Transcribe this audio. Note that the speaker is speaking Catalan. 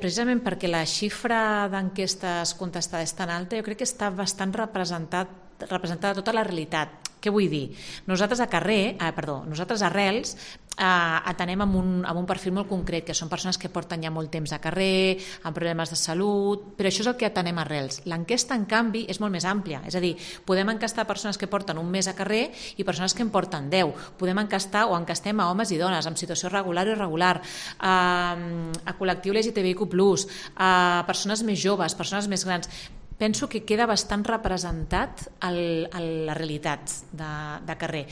precisament perquè la xifra d'enquestes contestades és tan alta, jo crec que està bastant representada tota la realitat. Què vull dir? Nosaltres nosaltres a Arrels atenem amb un perfil molt concret, que són persones que porten ja molt temps a carrer, amb problemes de salut, però això és el que atenem a Arrels. L'enquesta, en canvi, és molt més àmplia, és a dir, podem enquestar persones que porten un mes a carrer i persones que en porten 10. Podem enquestar o enquestem a homes i dones, en situació regular o irregular, a col·lectiu LGTBIQ+, a persones més joves, persones més grans. Penso que queda bastant representat la realitat de carrer.